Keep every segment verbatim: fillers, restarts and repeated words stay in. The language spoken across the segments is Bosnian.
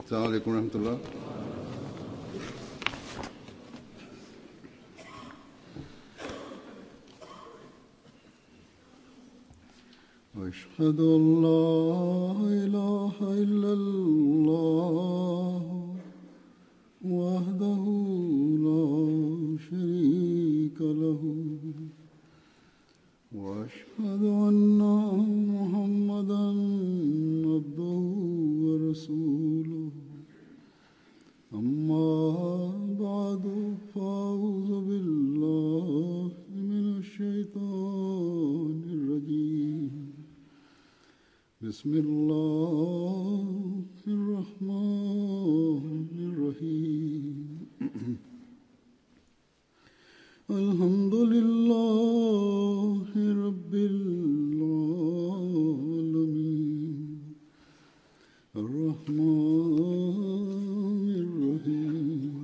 السلام عليكم ورحمة الله. أشهد أن لا إله إلا الله وحده لا شريك له وأشهد أن محمدا عبده ورسوله أما بعد فأعوذ بالله من الشيطان الرجيم بسم الله الرحمن الرحيم الحمد لله رب العالمين الرحمن الرحيم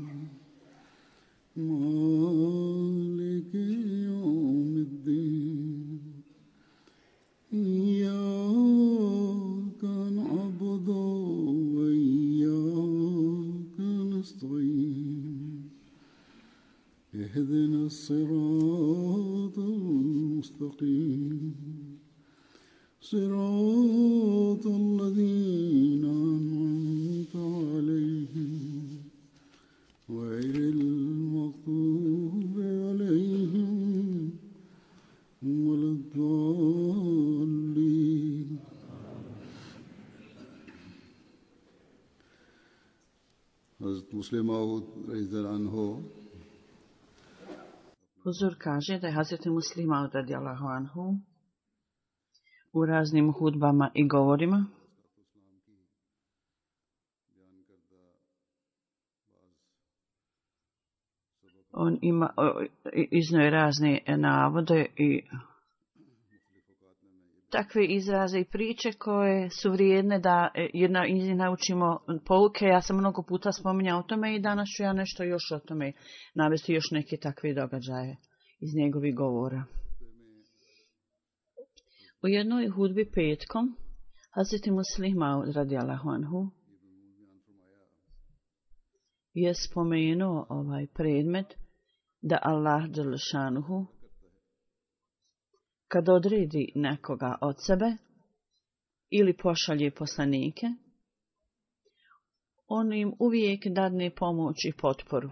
مالك يوم الدين إياك نعبد وإياك نستعين اهدنا الصراط المستقيم صراط الذين أنعمت عليهم غير المغضوب عليهم ولا الضالين. Hazrat Muslim Maud radijallahu anhu Huzur kaže da je Hazreti Muslim Maud radijallahu anhu u raznim hudbama i govorima on ima iznio je razne navode i takve izraze i priče koje su vrijedne da jedna iz njih naučimo pouke. Ja sam mnogo puta spominjao o tome i danas ću ja nešto još o tome navesti, još neke takve događaje iz njegovih govora. U jednoj hudbi petkom Hazreti Muslim Maud radijallahu anhu je spomenuo ovaj predmet da Allah dželle šanuhu kad odredi nekoga od sebe ili pošalje poslanike, on im uvijek dadne pomoć i potporu.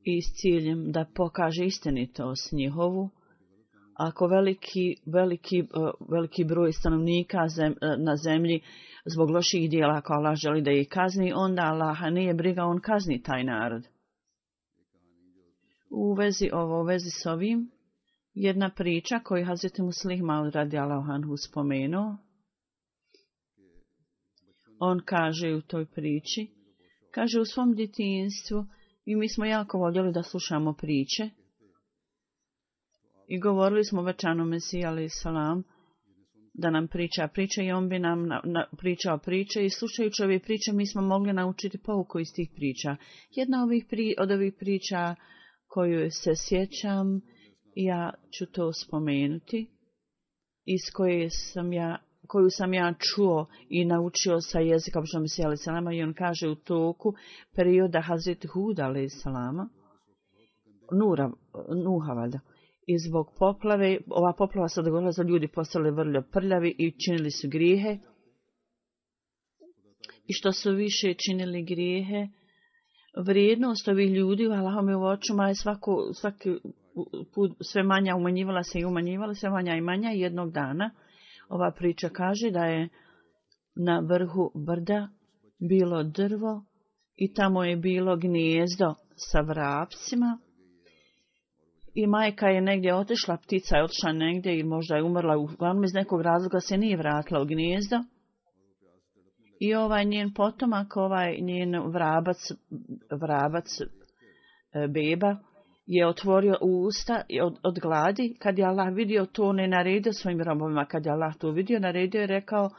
I s ciljem da pokaže istinitost njihovu, ako veliki, veliki, veliki broj stanovnika zem, na zemlji zbog loših dijela, ako Allah želi da ih kazni, onda Allaha nije briga, on kazni taj narod. U vezi ovo, u vezi s ovim, jedna priča koju Hazreti Muslim Maud radijallahu anhu spomenuo, on kaže u toj priči, kaže u svom djetinjstvu, i mi smo jako voljeli da slušamo priče, i govorili smo večanu Mesiji alejhi salam da nam priča priče i on bi nam na, na, pričao priče i slušajući ove priče mi smo mogli naučiti pouku iz tih priča. Jedna ovih pri, od ovih priča koju se sjećam, ja ću to spomenuti, iz koje sam ja, koju sam ja čuo i naučio sa jezika običnog Mesija alejhi salama, i on kaže u toku perioda Hazreti Huda alejhi salama, Nura, Nuha valjda, i zbog poplave, ova poplava se dogodila za ljudi postali vrlo prljavi i činili su grijehe. I što su više činili grijehe, vrijednost ovih ljudi u Allahovim očima je svako, svaki put sve manja, umanjivala se i umanjivala, sve manja i manja. Jednog dana ova priča kaže da je na vrhu brda bilo drvo i tamo je bilo gnijezdo sa vrapcima. I majka je negdje otišla, ptica je otišla negdje i možda je umrla, uglavnom iz nekog razloga se nije vratila u gnijezdo. I ovaj njen potomak, ovaj njen vrabac, vrabac beba, je otvorio usta od, od gladi. Kad je Allah vidio to, ne naredio svojim robovima. Kad je Allah to vidio, naredio je rekao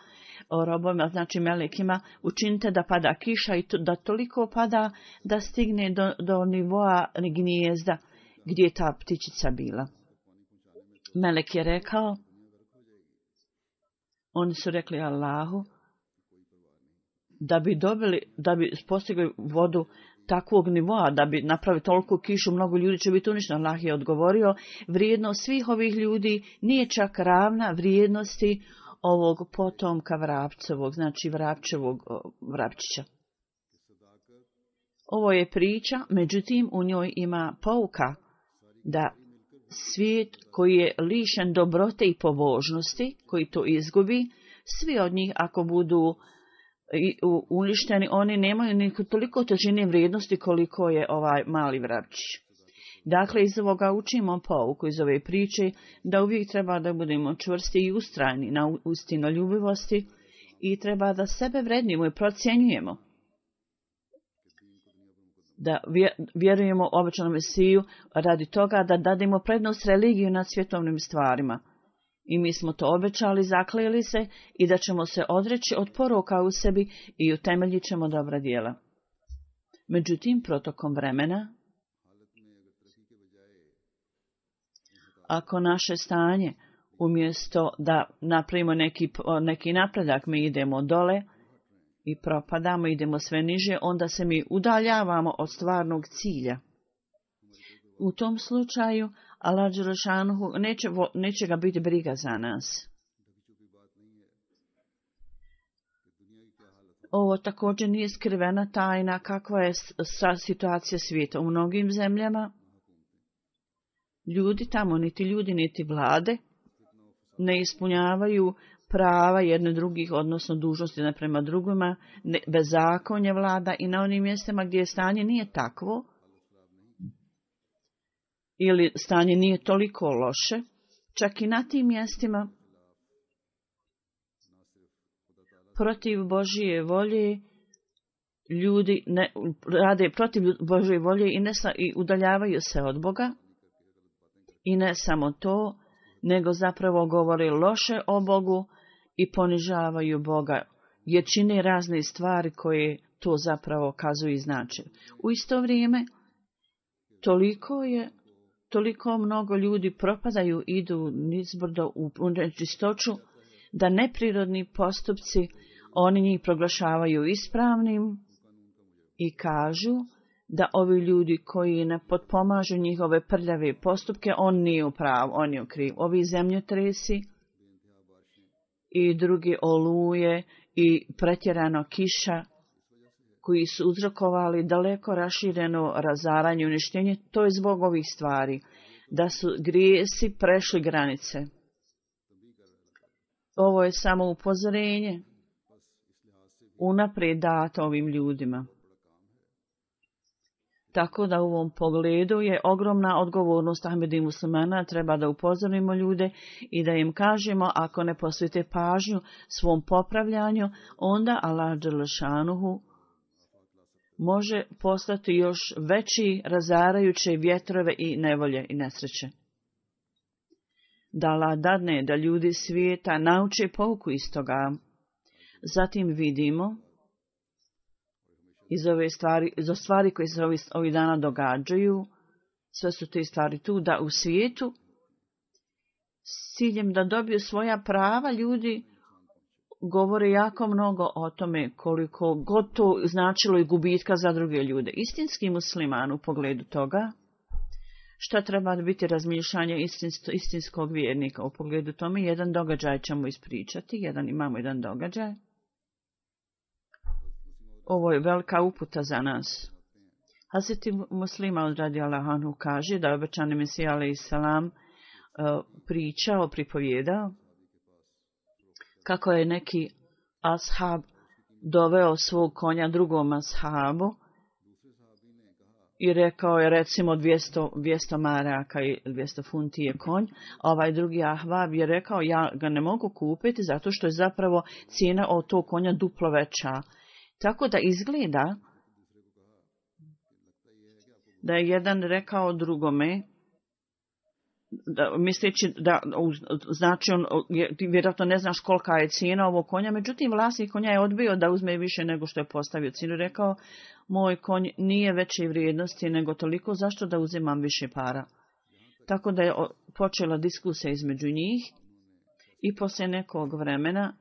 o robovima, znači melekima, učinite da pada kiša i to, da toliko pada da stigne do, do nivoa gnijezda gdje je ta ptičica bila. Melek je rekao, Oni su rekli Allahu da bi dobili, da bi postigli vodu takvog nivoa, da bi napravili toliko kišu, mnogo ljudi će biti uništeno. Allah je odgovorio, vrijednost svih ovih ljudi nije čak ravna vrijednosti ovog potomka vrapcevog, znači vrapčevog vrapčića. Ovo je priča, međutim u njoj ima pouka da svijet koji je lišen dobrote i pobožnosti, koji to izgubi, svi od njih ako budu uništeni, oni nemaju ni toliko težine vrijednosti koliko je ovaj mali vrapčić. Dakle, iz ovoga učimo pouku iz ove priče da uvijek treba da budemo čvrsti i ustrajni na istinoljubivosti i treba da sebe vrednimo i procjenjujemo. Da vjerujemo obećanom Mesiju radi toga da dademo prednost religiju nad svjetovnim stvarima. I mi smo to obećali, zakleli se i da ćemo se odreći od poroka u sebi i utemeljit ćemo dobra djela. Međutim, protokom vremena, ako naše stanje, umjesto da napravimo neki, neki napredak, mi idemo dole i propadamo, idemo sve niže, onda se mi udaljavamo od stvarnog cilja. U tom slučaju, Allah dželešanuhu neće, neće ga biti briga za nas. Ovo također nije skrivena tajna kakva je situacija svijeta. U mnogim zemljama ljudi tamo, niti ljudi, niti vlade, ne ispunjavaju prava jedne drugih, odnosno dužnosti jedne prema drugima, ne, bezakonje vlada i na onim mjestima gdje stanje nije takvo, ili stanje nije toliko loše, čak i na tim mjestima protiv Božije volje ljudi ne, rade protiv Božije volje i, ne, i udaljavaju se od Boga. I ne samo to, nego zapravo govore loše o Bogu i ponižavaju Boga, jer čine razne stvari koje to zapravo kazuju i znače. U isto vrijeme, toliko je Toliko mnogo ljudi propadaju, idu nizbrdo u nečistoću, da neprirodni postupci, oni njih proglašavaju ispravnim i kažu da ovi ljudi koji ne potpomažu njihove prljave postupke, on nije u pravu, on je u kriv. Ovi zemljotresi i drugi oluje i pretjerano kiša, koji su uzrokovali daleko rašireno razaranje i uništenje, to je zbog ovih stvari, da su grijesi prešli granice. Ovo je samo upozorenje unaprijed dato ovim ljudima. Tako da u ovom pogledu je ogromna odgovornost Ahmedi muslimana, treba da upozorimo ljude i da im kažemo ako ne posvete pažnju svom popravljanju, onda Allah dželešanuhu može poslati još veći razarajuće vjetrove i nevolje i nesreće. Da Allah dadne da ljudi svijeta nauče pouku iz toga. Zatim vidimo iz ove stvari, iz stvari koje se ovih, ovih dana događaju, sve su te stvari tu, da u svijetu s ciljem da dobiju svoja prava ljudi govore jako mnogo o tome koliko god to značilo i gubitka za druge ljude. Istinski musliman u pogledu toga, šta treba biti razmišljanje istinsko, istinskog vjernika u pogledu tome, jedan događaj ćemo ispričati, jedan imamo jedan događaj. Ovo je velika uputa za nas. Hazreti Muslima radijallahu anhu kaže da je obećani Mesija alejhi selam pričao, pripovjedao kako je neki ashab doveo svog konja drugom ashabu i rekao je recimo dvjesto, dvjesto maraka i dvjesto funti je konj, a ovaj drugi ahbab je rekao ja ga ne mogu kupiti zato što je zapravo cijena od tog konja duplo veća. Tako da izgleda da je jedan rekao drugome, da, misleći da znači on vjerojatno ne znaš kolika je cijena ovog konja, međutim vlasnik konja je odbio da uzme više nego što je postavio cijenu. Rekao, moj konj nije veće vrijednosti nego toliko, zašto da uzimam više para? Tako da je počela diskusija između njih i poslije nekog vremena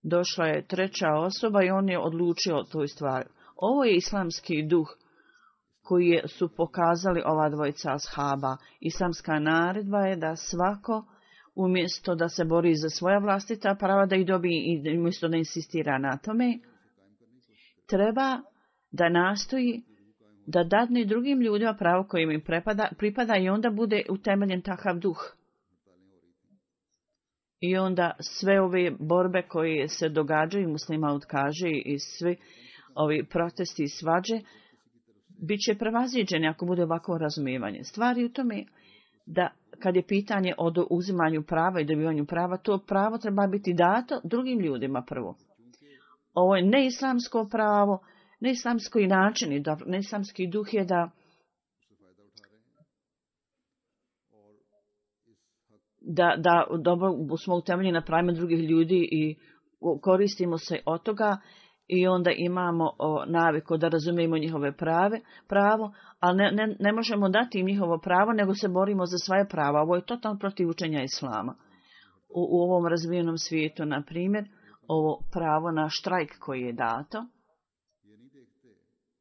došla je treća osoba i on je odlučio o toj stvari. Ovo je islamski duh koji je, su pokazali ova dvojica ashaba. Islamska naredba je da svako umjesto da se bori za svoja vlastita prava, da ih dobije i umjesto da insistira na tome, treba da nastoji da dadne drugim ljudima pravo koje im pripada, pripada i onda bude utemeljen takav duh. I onda sve ove borbe koje se događaju, muslima kaže, i svi ovi protesti i svađe, bit će prevaziđeni ako bude ovako razumijevanje. Stvari u tome da kad je pitanje o uzimanju prava i dobivanju prava, to pravo treba biti dato drugim ljudima prvo. Ovo je neislamsko pravo, neislamski način i neislamski duh je da da, da dobro smo utemeljeni na pravima drugih ljudi i koristimo se od toga i onda imamo o, naviku da razumijemo njihove prave, pravo, ali ne, ne, ne možemo dati im njihovo pravo, nego se borimo za svoje prava. Ovo je totalno protiv učenja islama. U, u ovom razvijenom svijetu, na primjer, ovo pravo na štrajk koji je dato,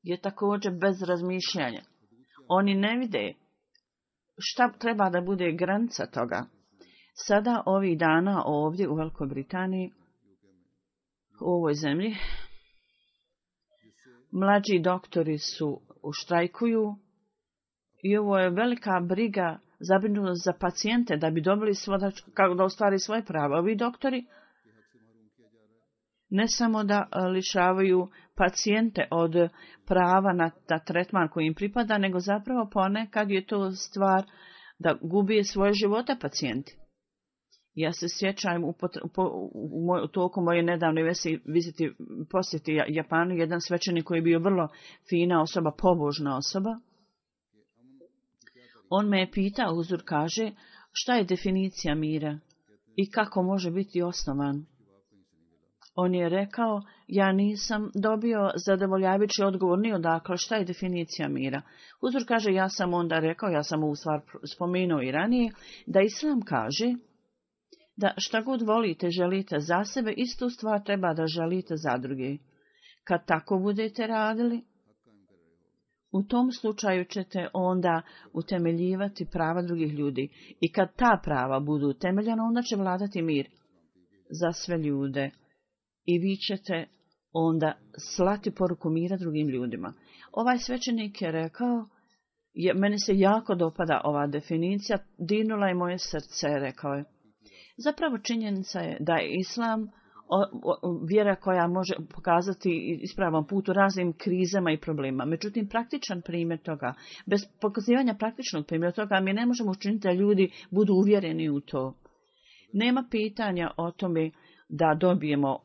je također bez razmišljanja. Oni ne vide šta treba da bude granica toga. Sada ovih dana ovdje u Velikoj Britaniji, u ovoj zemlji, mlađi doktori su štrajkuju i ovo je velika briga, zabrinutost za pacijente da bi dobili svoje, kako da ostvari svoje prava. Ovi doktori ne samo da lišavaju pacijente od prava na, na tretman koji im pripada, nego zapravo ponekad je to stvar da gubi svoje živote pacijenti. Ja se sjećam u, u, u, u toku moje nedavne viziti, posjeti Japanu, jedan svećenik koji je bio vrlo fina osoba, pobožna osoba. On me je pitao, Huzur kaže, šta je definicija mira i kako može biti osnovan. On je rekao, ja nisam dobio zadovoljavajući odgovor ni odakle, šta je definicija mira. Huzur kaže, ja sam onda rekao, ja sam ovu stvar spomenuo i ranije, da Islam kaže da šta god volite, želite za sebe, istu stvar treba da želite za druge. Kad tako budete radili, u tom slučaju ćete onda utemeljivati prava drugih ljudi. I kad ta prava budu utemeljena, onda će vladati mir za sve ljude. I vi ćete onda slati poruku mira drugim ljudima. Ovaj svećenik je rekao, je, meni se jako dopada ova definicija, dirnula je moje srce, rekao je. Zapravo činjenica je da je Islam o, o, vjera koja može pokazati ispravan put u raznim krizama i problemima. Međutim, praktičan primjer toga, bez pokazivanja praktičnog primjera toga, mi ne možemo učiniti da ljudi budu uvjereni u to. Nema pitanja o tome da dobijemo,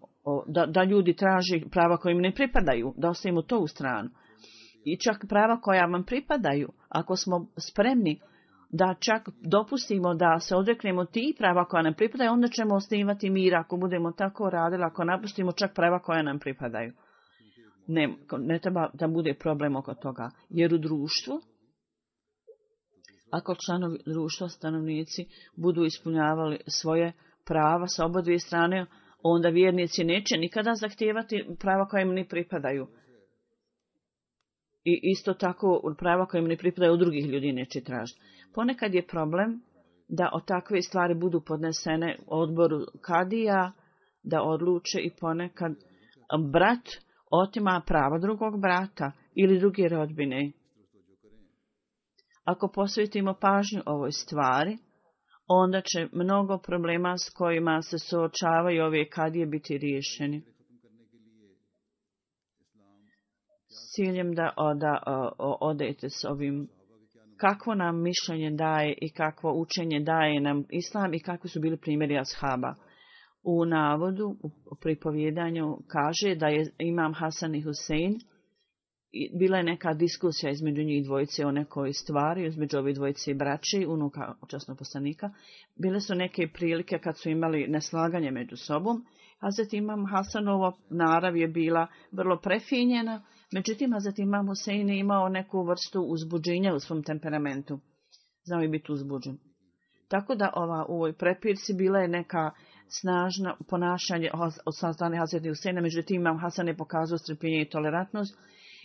da, da ljudi traži prava koja im ne pripadaju, da ostavimo to u stranu. I čak prava koja vam pripadaju, ako smo spremni da čak dopustimo da se odreknemo ti prava koja nam pripadaju, onda ćemo osnivati mir ako budemo tako radili, ako napustimo čak prava koja nam pripadaju. Ne, ne treba da bude problem oko toga. Jer u društvu, ako članovi društva, stanovnici, budu ispunjavali svoje prava sa oba dvije strane, onda vjernici neće nikada zahtijevati prava koja im ne pripadaju. I isto tako prava koja im ne pripadaju od drugih ljudi neće tražiti. Ponekad je problem da o takve stvari budu podnesene odboru kadija, da odluče i ponekad brat otima prava drugog brata ili druge rodbine. Ako posvetimo pažnju ovoj stvari, onda će mnogo problema s kojima se suočavaju ove kadije biti riješeni. S ciljem da, da o, odete s ovim, kakvo nam mišljenje daje i kakvo učenje daje nam Islam i kakvi su bili primjeri ashaba. U navodu, u pripovjedanju kaže da je imam Hasan i Husein, bila je neka diskusija između njih dvojice o nekoj stvari, između ove dvojice braći, unuka časnog poslanika. Bile su neke prilike kad su imali neslaganje među sobom. Hazret imam Hasanova narav je bila vrlo prefinjena, međutim Hazret imam Husein je imao neku vrstu uzbuđenja u svom temperamentu. Znao je biti uzbuđen. Tako da ova, u ovoj prepirci bila je neka snažno ponašanje od strane Hazreti Huseina, međutim imam Hasan je pokazao strpljenje i tolerantnost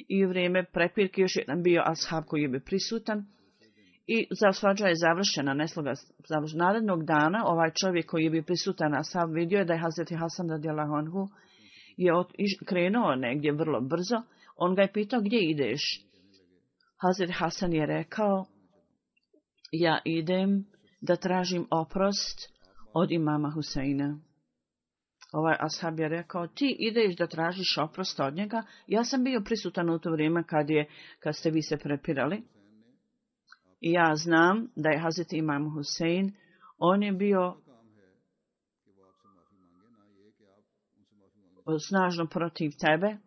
i u vrijeme prepirke još jedan bio ashab koji je bio prisutan i svađa je završena, nesloga završena. Narednog dana ovaj čovjek koji je bio prisutan ashab vidio je da je Hazreti Hasan radijallahu anhu je od, krenuo negdje vrlo brzo. On ga je pitao gdje ideš. Hazreti Hasan je rekao ja idem da tražim oprost od imama Huseina. Ovaj ashab je rekao, ti ideš da tražiš oprost od njega. Ja sam bio prisutan u to vrijeme kad, je, kad ste vi se prepirali. I ja znam da je Hazreti imam Husein, on je bio snažno protiv tebe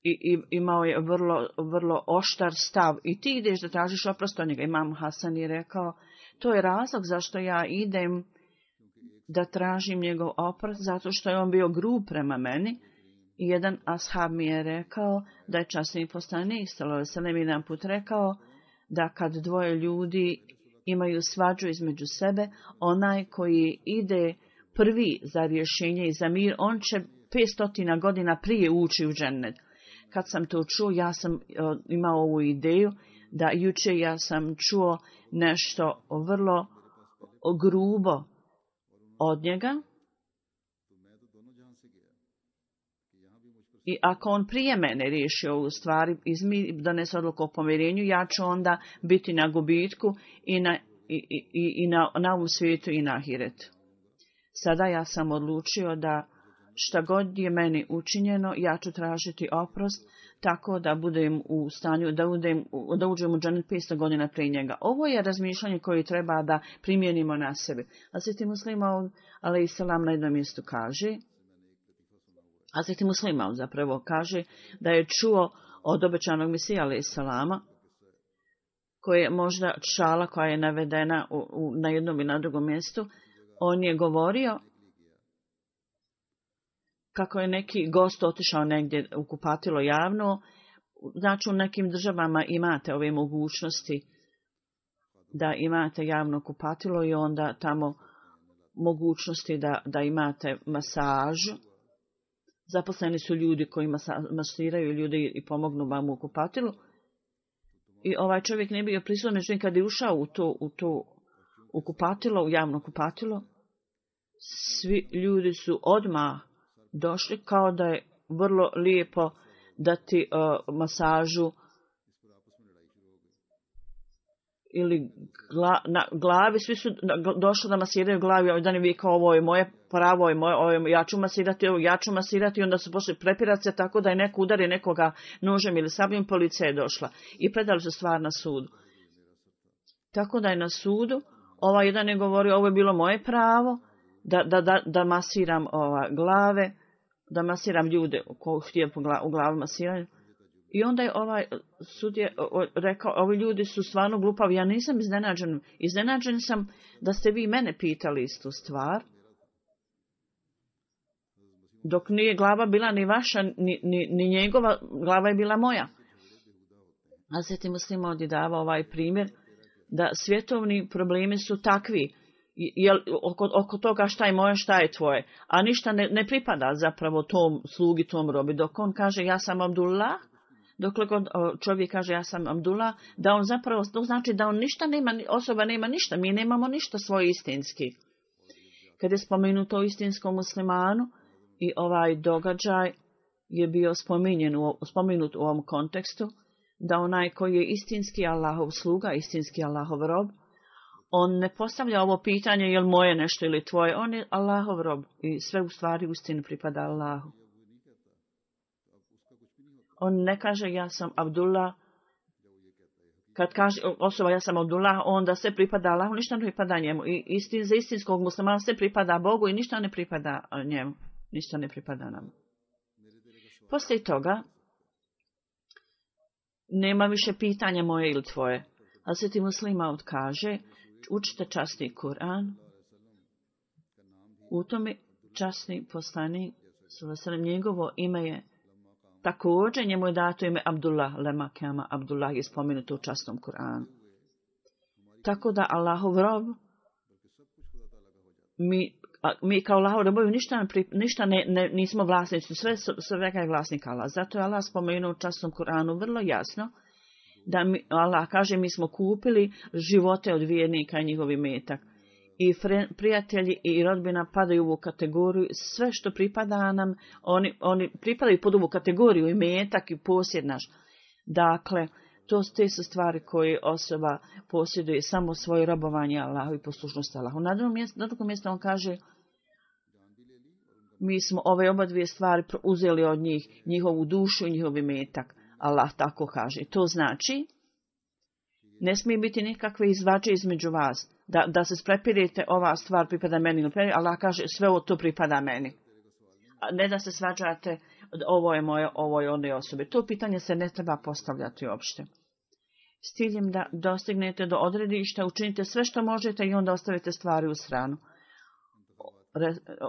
i, i imao je vrlo, vrlo oštar stav. I ti ideš da tražiš oprost od njega. Imam Hasan je rekao, to je razlog zašto ja idem da tražim njegov oprost, zato što je on bio grub prema meni. I jedan ashab mi je rekao da je časni poslanik sallallahu alejhi ve sellem jedan put rekao da kad dvoje ljudi imaju svađu između sebe, onaj koji ide prvi za rješenje i za mir, on će petsto godina prije ući u džennet. Kad sam to čuo, ja sam imao ovu ideju da juče ja sam čuo nešto vrlo grubo od njega. I ako on prije mene riješi ovu stvar i donese odluku o pomirenju, ja ću onda biti na gubitku i na, i, i, i na, na ovom svijetu i na ahiretu. Sada ja sam odlučio da šta god je meni učinjeno, ja ću tražiti oprost tako da budem u stanju, da, udem, da uđem u džennet petsto godina prije njega. Ovo je razmišljanje koje treba da primjenimo na sebe. Hazreti Muslima, alejselam, na jednom mjestu kaže, Hazreti Muslima zapravo kaže da je čuo od obećanog Mesija, alejselama, koje je možda šala koja je navedena u, u, na jednom i na drugom mjestu, on je govorio kako je neki gost otišao negdje u kupatilo javno. Znači u nekim državama imate ove mogućnosti da imate javno kupatilo i onda tamo mogućnosti da, da imate masažu. Zaposleni su ljudi koji masa, masiraju ljudi i pomognu vam u kupatilu. I ovaj čovjek ne bio prisutan, međutim kad je ušao u to, u to u kupatilo, u javno kupatilo, svi ljudi su odmah došli kao da je vrlo lijepo dati uh, masažu ili gla, na glavi, svi su došli da masiraju glavi, ovaj dan je vikao ovo je moje pravo, ovo je moje, ovo je, ja ću masirati, ovo ja ću masirati i onda su pošli prepirati se tako da je neko udari nekoga nožem ili sabljom, policija je došla i predali su stvar na sudu. Tako da je na sudu, ovaj jedan je govorio ovo je bilo moje pravo da, da, da, da masiram ova, glave, da masiram ljude koji htije u glavu masiraju. I onda je ovaj sud je rekao, ovi ljudi su stvarno glupavi, ja nisam iznenađen. Iznenađen sam da ste vi mene pitali istu stvar. Dok nije glava bila ni vaša, ni, ni, ni njegova, glava je bila moja. A Hazreti Muslim ovdje dava ovaj primjer da svjetovni problemi su takvi. Jel, oko, oko toga šta je moje, šta je tvoje. A ništa ne, ne pripada zapravo tom slugi, tom robi. Dok on kaže ja sam Abdullah, dokle god čovjek kaže ja sam Abdullah, da on zapravo, to znači da on ništa nema, osoba nema ništa, mi nemamo ništa svoje istinski. Kad je spomenuto o istinskom muslimanu i ovaj događaj je bio spominjen u, spomenut u ovom kontekstu, da onaj koji je istinski Allahov sluga, istinski Allahov rob, on ne postavlja ovo pitanje je li moje nešto ili tvoje, on je Allahov rob i sve u stvari ustinu pripada Allahu. On ne kaže ja sam Abdullah, kad kaže osoba ja sam Abdullah, onda sve pripada Allahu, ništa ne pripada njemu. I istin, za istinskog muslimana sve pripada Bogu i ništa ne pripada njemu, ništa ne pripada nam. Poslije toga nema više pitanja moje ili tvoje. Hazreti Muslima kaže, učite časni Kur'an. U tome časni poslanik, njegovo ime je također, njemu je dato ime Abdullah, lema kama Abdullah je spomenuto u časnom Kur'anu. Tako da Allahov rob, mi A mi kao Allahovi robovi ništa, ništa ne, ne, nismo vlasnici, sve, svega je vlasnik Allah. Zato je Allah spomenuo u časnom Kur'anu vrlo jasno da mi, Allah kaže mi smo kupili živote od vjernika i njihov imetak. I fre, prijatelji i rodbina padaju u ovu kategoriju, sve što pripada nam, oni, oni pripadaju pod ovu kategoriju imetak i posjed naš. Dakle, to te su stvari koje osoba posjeduje samo svoje robovanje Allahu i poslušnost Allahu. Na drugom mjestu, na drugom mjestu on kaže mi smo ove oba dvije stvari uzeli od njih, njihovu dušu i njihov imetak. Allah tako kaže. To znači ne smije biti nikakve izvađe između vas. Da, da se sprepirite ova stvar pripada meni. Allah kaže sve ovo to pripada meni. A ne da se svađate ovo je moje, ovo je one osobe. To pitanje se ne treba postavljati uopšte. S ciljem da dostignete do odredišta, učinite sve što možete i onda ostavite stvari u stranu.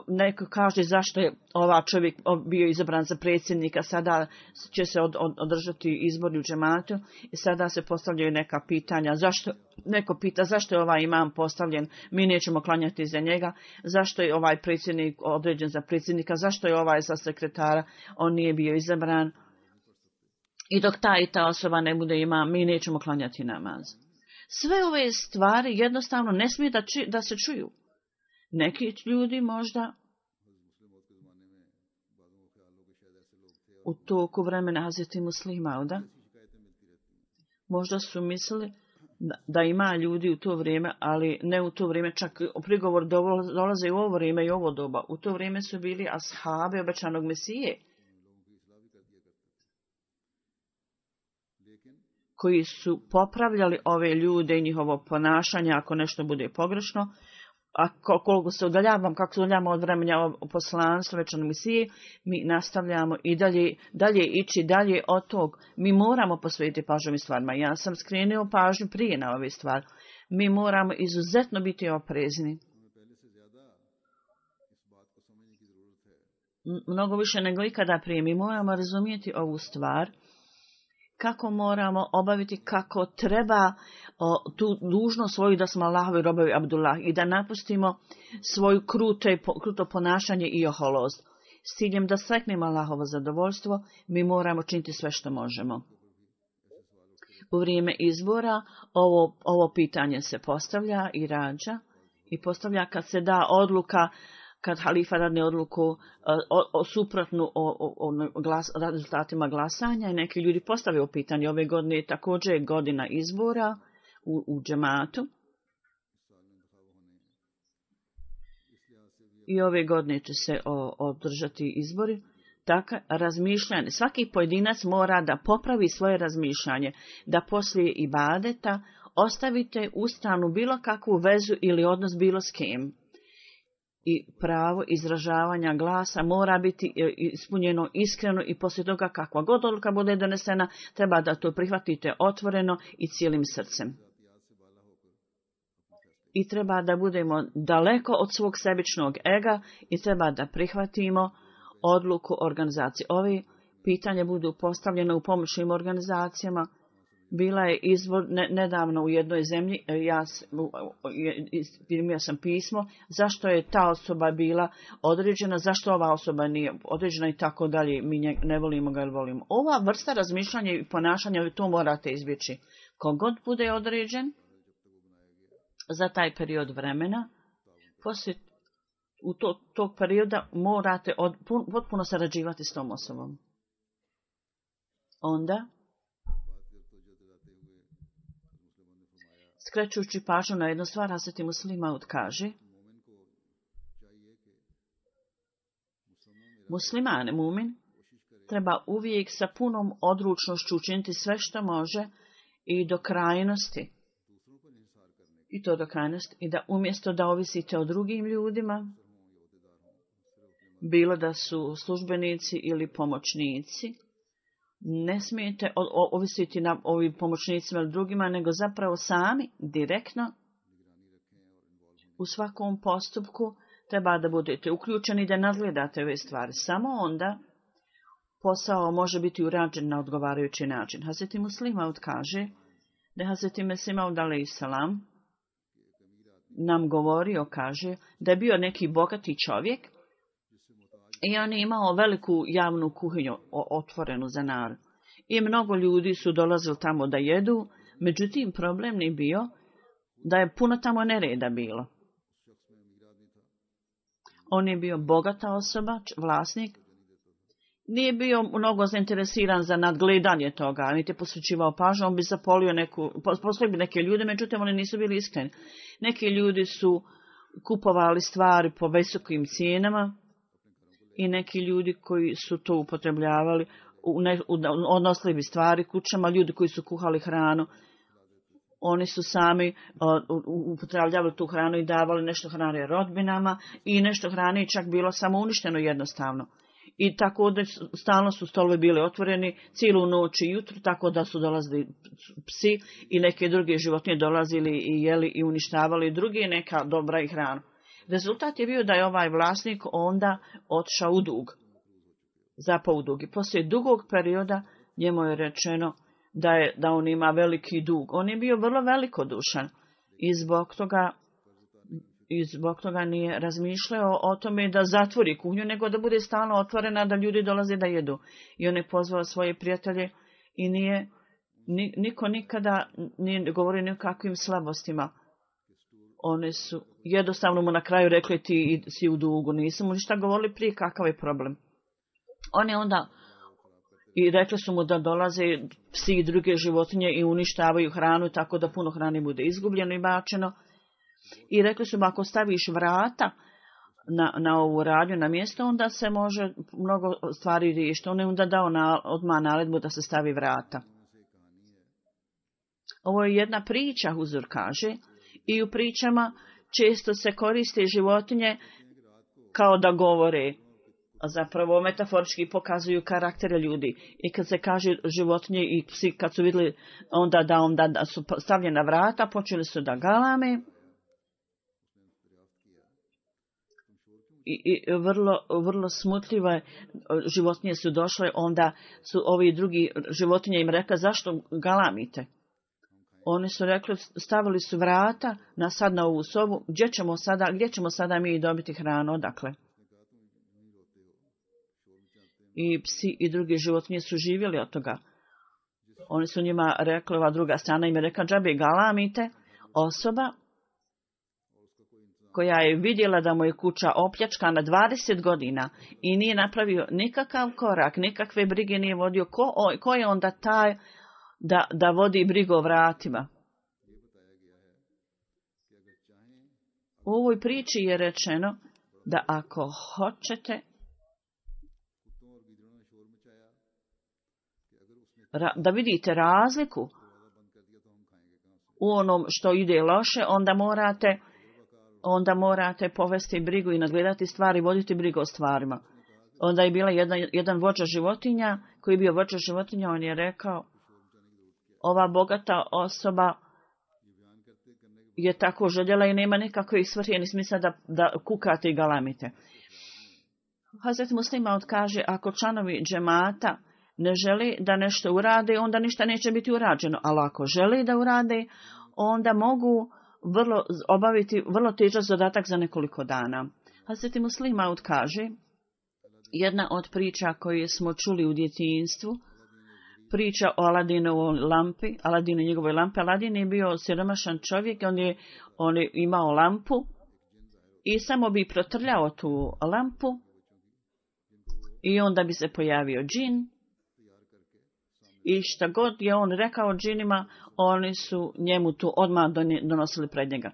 Neko kaže zašto je ova čovjek bio izabran za predsjednika, sada će se od, od, održati izbori u džematu i sada se postavljaju neka pitanja. Zašto, neko pita zašto je ovaj imam postavljen, mi nećemo klanjati za njega, zašto je ovaj predsjednik određen za predsjednika, zašto je ovaj za sekretara, on nije bio izabran. I dok ta i ta osoba ne bude imam, mi nećemo klanjati namaz. Sve ove stvari jednostavno ne smije da, či, da se čuju. Neki ljudi možda u toku vremena Hazreti Muslima, možda su mislili da ima ljudi u to vrijeme, ali ne u to vrijeme, čak prigovor dolaze u ovo vrijeme i ovo doba. U to vrijeme su bili ashabi obećanog Mesije, koji su popravljali ove ljude i njihovo ponašanje ako nešto bude pogrešno. A koliko se udaljavamo, kako se udaljavamo od vremena poslanstva večnog Mesije, mi nastavljamo i dalje, dalje ići dalje od tog. Mi moramo posvetiti pažnju ovim stvarima. Ja sam skrenuo pažnju prije na ove stvari. Mi moramo izuzetno biti oprezni. Mnogo više nego ikada prije. Mi moramo razumijeti ovu stvar. Kako moramo obaviti, kako treba o, tu dužnost svoju da smo Allahovi robovi Abdullah i da napustimo svoju krute, kruto ponašanje i oholost. S ciljem da steknemo Allahovo zadovoljstvo, mi moramo činiti sve što možemo. U vrijeme izbora ovo, ovo pitanje se postavlja i rađa i postavlja kad se da odluka, kad halifa dadne odluku o, o, o suprotnu o, o, o glas, rezultatima glasanja i neki ljudi postavljaju pitanje. Ove godine je također godina izbora u, u džematu. I ove godine će se o, održati izbori. Tako, razmišljanje. Svaki pojedinac mora da popravi svoje razmišljanje, da poslije ibadeta ostavite u stranu bilo kakvu vezu ili odnos bilo s kim. I pravo izražavanja glasa mora biti ispunjeno iskreno i poslije toga kakva god odluka bude donesena, treba da to prihvatite otvoreno i cijelim srcem. I treba da budemo daleko od svog sebičnog ega i treba da prihvatimo odluku organizacije. Ove pitanje budu postavljene u pomoćnim organizacijama. Bila je izvor ne, nedavno u jednoj zemlji, ja primio sam pismo, zašto je ta osoba bila određena, zašto ova osoba nije određena i tako dalje, mi nje, ne volimo ga ili volimo. Ova vrsta razmišljanja i ponašanja, to morate izbjeći. Kogod bude određen za taj period vremena, poslije u to, tog perioda morate od, potpuno sarađivati s tom osobom. Onda skrećući pažnju na jednu stvar, Hazreti Muslima kaže, musliman, mumin, treba uvijek sa punom odlučnošću učiniti sve što može i do krajnosti. I to do krajnosti. I da umjesto da ovisite o drugim ljudima, bilo da su službenici ili pomoćnici, ne smijete ovisiti na ovim pomoćnicima ili drugima, nego zapravo sami, direktno, u svakom postupku treba da budete uključeni da nadgledate ove stvari. Samo onda posao može biti urađen na odgovarajući način. Hazreti Muslima kaže da Hazreti Mesih alejhi salam nam govorio, kaže, da je bio neki bogati čovjek i on je imao veliku javnu kuhinju otvorenu za narod. I mnogo ljudi su dolazili tamo da jedu, međutim problem nije bio da je puno tamo nereda bilo. On je bio bogata osoba, vlasnik. Nije bio mnogo zainteresiran za nadgledanje toga, niti je posvećivao pažnju, on bi zapolio neku, poslali bi neke ljude, međutim oni nisu bili iskreni. Neki ljudi su kupovali stvari po visokim cijenama i neki ljudi koji su to upotrebljavali, odnosili bi stvari kućama, ljudi koji su kuhali hranu, oni su sami uh, upotrebljavali tu hranu i davali nešto hrane rodbinama i nešto hrane čak bilo samo uništeno jednostavno. I tako da stalno su stolovi bili otvoreni cijelu noć i jutro, tako da su dolazili psi i neke druge životinje dolazili i jeli i uništavali druge neka dobra i hranu. Rezultat je bio da je ovaj vlasnik onda otišao u dug. Zapao u dug. I poslije dugog perioda njemu je rečeno da, je, da on ima veliki dug. On je bio vrlo velikodušan i zbog toga I zbog toga nije razmišljao o tome da zatvori kuhinju, nego da bude stalno otvorena, da ljudi dolaze da jedu. I on je pozvao svoje prijatelje i nije, niko nikada nije govorio ni o kakvim slabostima. One su jednostavno mu na kraju rekli ti si u dugu, nisu mu ništa govorili prije kakav je problem. On je onda i rekli su mu da dolaze psi i druge životinje i uništavaju hranu tako da puno hrane bude izgubljeno i bačeno. I rekli su mu ako staviš vrata na, na ovu radnju na mjesto, onda se može mnogo stvari riješiti. On je onda dao na, odmah naredbu da se stavi vrata. Ovo je jedna priča, Huzur kaže, i u pričama često se koriste životinje kao da govore. A zapravo metaforički pokazuju karaktere ljudi. I kad se kaže životinje i psi kad su vidjeli onda da, onda da su stavljena vrata, počeli su da galame. I, i vrlo, vrlo smutljive životinje su došle, onda su ovi drugi životinje im rekla zašto galamite. Oni su rekli, stavili su vrata na sad na ovu sobu, gdje ćemo sada, gdje ćemo sada mi dobiti hranu, odakle? I psi i drugi životinje su živjeli od toga. Oni su njima rekli, ova druga strana im je rekla, džabe galamite, osoba koja je vidjela da mu je kuća opljačkana dvadeset godina i nije napravio nikakav korak, nikakve brige nije vodio, ko, o, ko je onda taj da, da vodi brigu o vratima? U ovoj priči je rečeno da ako hoćete ra, da vidite razliku u onom što ide loše, onda morate onda morate povesti brigu i nadgledati stvari, voditi brigu o stvarima. Onda je bila jedna, jedan vođa životinja, koji je bio vođa životinja, on je rekao, ova bogata osoba je tako željela i nema nikakve svrhe ni smisla da, da kukate i galamite. Hazret Muslima odkaže, ako članovi džemata ne želi da nešto urade, onda ništa neće biti urađeno, ali ako želi da urade, onda mogu vrlo, obaviti vrlo težak zadatak za nekoliko dana. Hazret Muslima kaže, jedna od priča koje smo čuli u djetinjstvu, priča o Aladinovoj lampi, Aladinu njegove lampe. Aladin je bio siromašan čovjek, on je, on je imao lampu i samo bi protrljao tu lampu i onda bi se pojavio džin. I šta god je on rekao džinima, oni su njemu tu odmah donosili pred njega.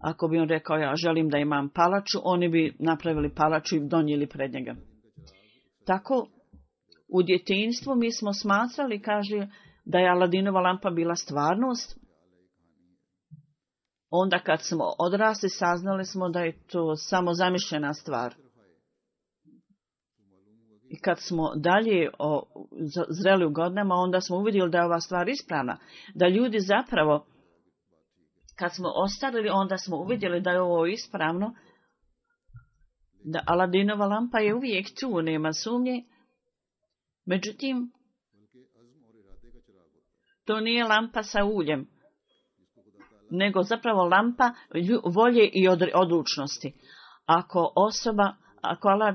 Ako bi on rekao, ja želim da imam palaču, oni bi napravili palaču i donijeli pred njega. Tako, u djetinjstvu mi smo smatrali, kaže, da je Aladinova lampa bila stvarnost. Onda kad smo odrasli, saznali smo da je to samo zamišljena stvar. I kad smo dalje o, zreli u godinama, onda smo uvidjeli da je ova stvar ispravna. Da ljudi zapravo, kad smo ostarili, onda smo uvidjeli da je ovo ispravno. Da Aladinova lampa je uvijek tu, nema sumnje. Međutim, to nije lampa sa uljem. nego zapravo lampa volje i odlučnosti. Ako osoba, ako Allah,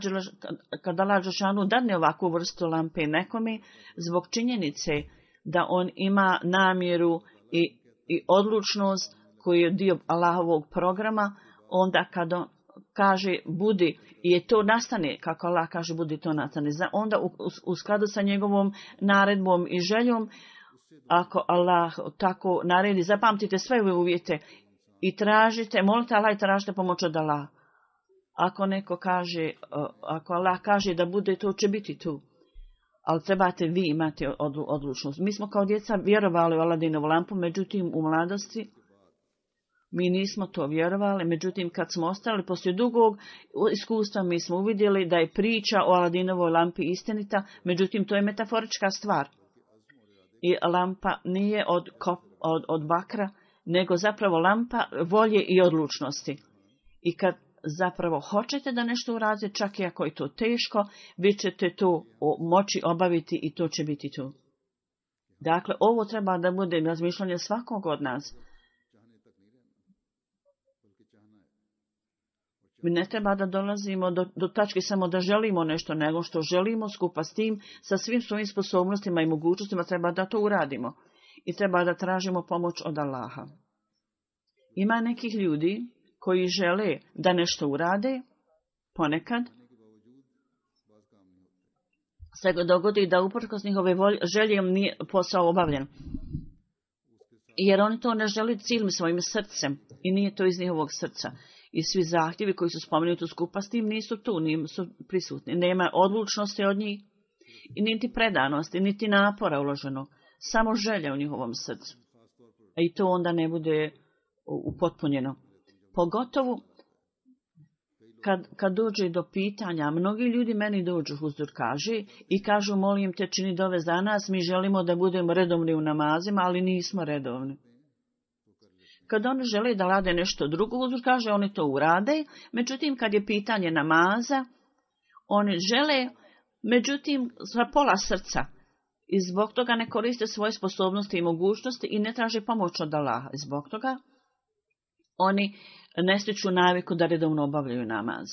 kad Allah dželešanu dadne ovakvu vrstu lampe nekome, zbog činjenice da on ima namjeru i, i odlučnost koji je dio Allahovog programa, onda kad on kaže budi i je to nastane, kako Allah kaže budi to nastane, onda u, u, u skladu sa njegovom naredbom i željom, ako Allah tako naredi, zapamtite sve ove uvjete i tražite, molite Allah i tražite pomoć od Allah. Ako neko kaže, ako Allah kaže da bude to, će biti tu. Ali trebate vi imati odlučnost. Mi smo kao djeca vjerovali u Aladinovu lampu, međutim u mladosti mi nismo to vjerovali, međutim kad smo ostali poslije dugog iskustva mi smo uvidjeli da je priča o Aladinovoj lampi istinita, međutim to je metaforička stvar. I lampa nije od, od, od bakra, nego zapravo lampa volje i odlučnosti. I kad zapravo hoćete da nešto uradite, čak i ako je to teško, vi ćete to moći obaviti i to će biti tu. Dakle, ovo treba da bude razmišljanje svakog od nas. Mi ne treba da dolazimo do, do tačke samo da želimo nešto, nego što želimo skupa s tim, sa svim svojim sposobnostima i mogućnostima, treba da to uradimo. I treba da tražimo pomoć od Allaha. Ima nekih ljudi koji žele da nešto urade, ponekad se dogodi da uprkos njihove želje nije posao obavljen. Jer oni to ne žele cijelim svojim srcem i nije to iz njihovog srca. I svi zahtjevi koji su spomenuti skupa s tim nisu tu, nisu prisutni. Nema odlučnosti od njih, i niti predanosti, niti napora uloženo. Samo želja u njihovom srcu. A i to onda ne bude upotpunjeno. Pogotovo kad, kad dođe do pitanja, mnogi ljudi meni dođu, Huzur kaže, i kažu molim te čini dove za nas, mi želimo da budemo redovni u namazima, ali nismo redovni. Kad oni žele da rade nešto drugo, Huzur kaže oni to urade, međutim kad je pitanje namaza, oni žele, međutim sa pola srca. I zbog toga ne koriste svoje sposobnosti i mogućnosti i ne traže pomoć od Allaha. I zbog toga oni ne stiču naviku da redovno obavljaju namaz.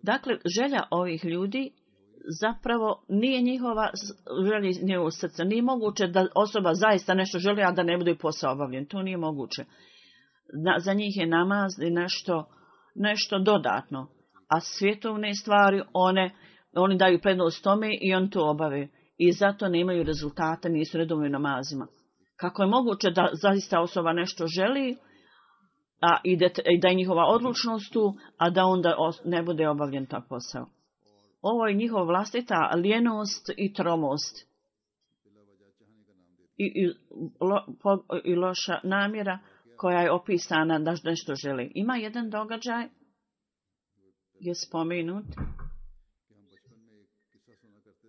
Dakle, želja ovih ljudi zapravo nije njihova želja njegovog srca. Nije moguće da osoba zaista nešto želi, a da ne bude posao obavljen. To nije moguće. Za njih je namaz nešto, nešto dodatno. A svjetovne stvari, one, oni daju prednost tome i on to obave. I zato nemaju rezultata, nisu redovni namazima. Kako je moguće da zaista osoba nešto želi, a i da, i da je njihova odlučnost tu, a da onda ne bude obavljen ta posao. Ovo je njihova vlastita lijenost i tromost. I, i, lo, po, i loša namjera koja je opisana da nešto želi. Ima jedan događaj, je spomenut,